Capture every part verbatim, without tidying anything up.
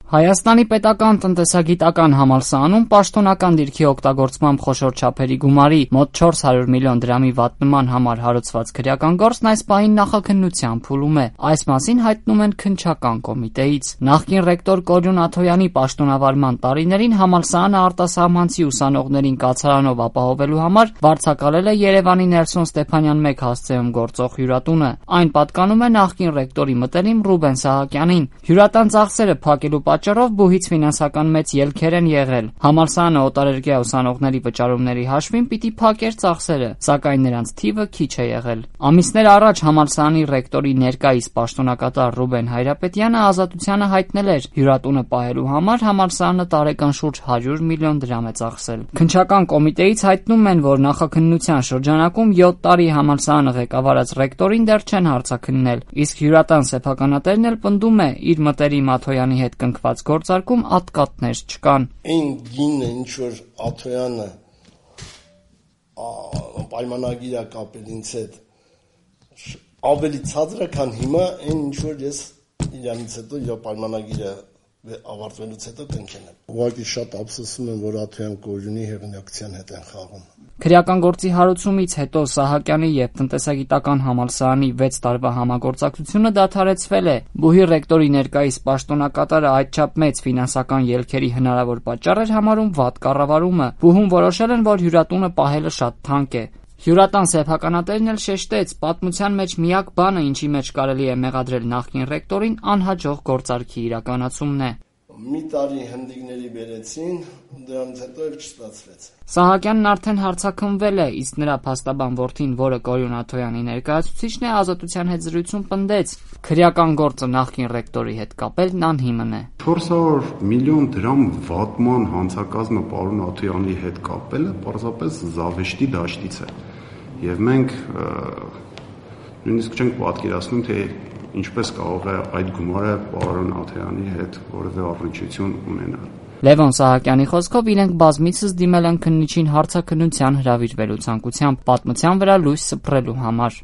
Հայաստանի պետական տնտեսագիտական համալսարանում պաշտոնական դիրքի օգտագործմամբ խոշոր չափերի գումարի մոտ չորս հարյուր միլիոն դրամի վատնման համար հարուցված քրեական գործն այս պահին նախաքննության փուլում է։ Այս մասին հայտնում են քննչական կոմիտեից։ Նախկին ռեկտոր Կորյուն Աթոյանի պաշտոնավարման տարիներին համալսարանը արտասահմանցի ուսանողներին կացարանով ապահովելու համար վարձակալել է Երևանի Նելսոն Ստեփանյան մեկ հասցեում գործող հյուրատունը։ Այն պատկանում է նախկին ռեկտորի մտերիմ Ռուբեն Սահակյանին։ Հյուրատան ծախսերը փակելու պատճառով բուհից ֆինանսական մեծ ելքեր են եղել։ Համալսարանը օտարերկրյա ուսանողների վճարումների հաշվին պիտի փակեր ծախսերը, սակայն նրանց թիվը քիչ է եղել։ Ամիսներ առաջ համալսարանի ռեկտորի ներկայիս պաշտոնակատար Ռուբեն Հայրապետյանը Ազատությանը հայտնել էր, հյուրատունը պահելու համար համալսարանը տարեկան շուրջ հարյուր միլիոն դրամ է ծախսել։ Քննչական կոմիտեից հայտնում են, որ նախաքննության շրջանակում յոթ տարի համալսարանը ղեկավարած ռեկտորին դեռ չեն հարցաքննել, իսկ հյուրատան սեփականատերն էլ պնդում է, իր մտերիմ Աթոյանի հետ կնքված գործարկում ատկատներ չկան։ Այն գինը, ինչ որ Աթոյանը պայմանագիր է կապել ինձ հետ, ավելի ցածր է, քան հիմա այն ինչ որ ես իրանից հետո իր պայմանագիրը ավարտվելուց հետո կնքել եմ։ Ուղղակի շատ ափսոսում եմ, որ Աթոյան Կորյունի հեղինակության հետ են խաղում։ Քրեական գործի հարուցումից հետո Սահակյանի եւ տնտեսագիտական համալսարանի վեց տարվա համագործակցությունը դադարեցվել է։ Բուհի ռեկտորի ներկայիս պաշտոնակատարը այդչափ մեծ ֆինանսական ելքերի հնարավոր պատճառ էր համարում վատ կառավարումը։ Բուհում որոշել են, որ հյուրատունը պահելը շատ թանկ է։ Հյուրատան սեփականատերն էլ շեշտեց, պատմության մեջ միակ բանը, ինչի մեջ կարելի է մեղադրել նախկին ռեկտորին, անհաջող գործարքի իրականացումն է։ Մի տարի հնդիկների բերեցին, դրանից հետո էլ չստացվեց։ Սահակյանն արդեն հարցաքննվել է, իսկ նրա փաստաբան որդին, որը Կորյուն Աթոյանի ներկայացուցիչն է, Ազատության հետ զրույցում պնդեց, քրեական գործը նախկին ռեկտորի հետ կապելն անհիմն է։ չորս հարյուր միլիոն դրամ վատման հանցակազմը պարոն Աթոյանի հետ կապելը պարզապես զավեշտի դաշտից է։ Եվ մենք նույնիսկ չենք պատկերացնում, թե ինչպես կարող է այդ գումարը պարոն Աթոյանի հետ որևէ առնչություն ունենալ։ Լևոն Սահակյանի խոսքով իրենք բազմիցս դիմել են քննիչին հարցաքննության հրավիրվելու ցանկությամբ պատմության վրա լույս սփռելու համար։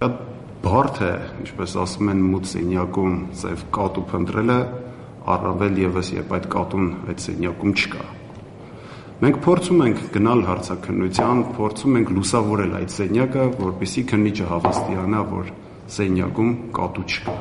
Բարդ է, ինչպես ասում են, մութ սենյակում ծև կատու փնտրելը, առավել եւս երբ այդ կատուն այդ սենյակում չկա։ Մենք փորձում ենք գնալ հարցաքննության, փորձում ենք լուսավորել այդ սենյակը, որպեսզի քննիչը հավաստիանա, որ սենյակում կատու չկա։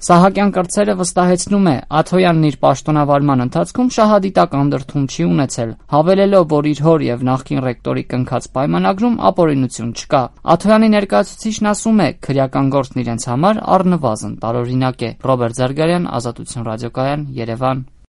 Սահակյան կրծերը վստահեցնում է, Աթոյանն իր պաշտոնավարման ընթացքում շահադիտական դրդում չի ունեցել, հավելելով, որ իր հոր եւ նախկին ռեկտորի կնքած պայմանագրում ապօրինություն չկա։ Աթոյանի ներկայացուցիչն ասում է, քրեական գործն իրենց համար առնվազն տարօրինակ է։ Ռոբերտ Զարգարյան, Ազատություն ռադիոկայան, Երևան։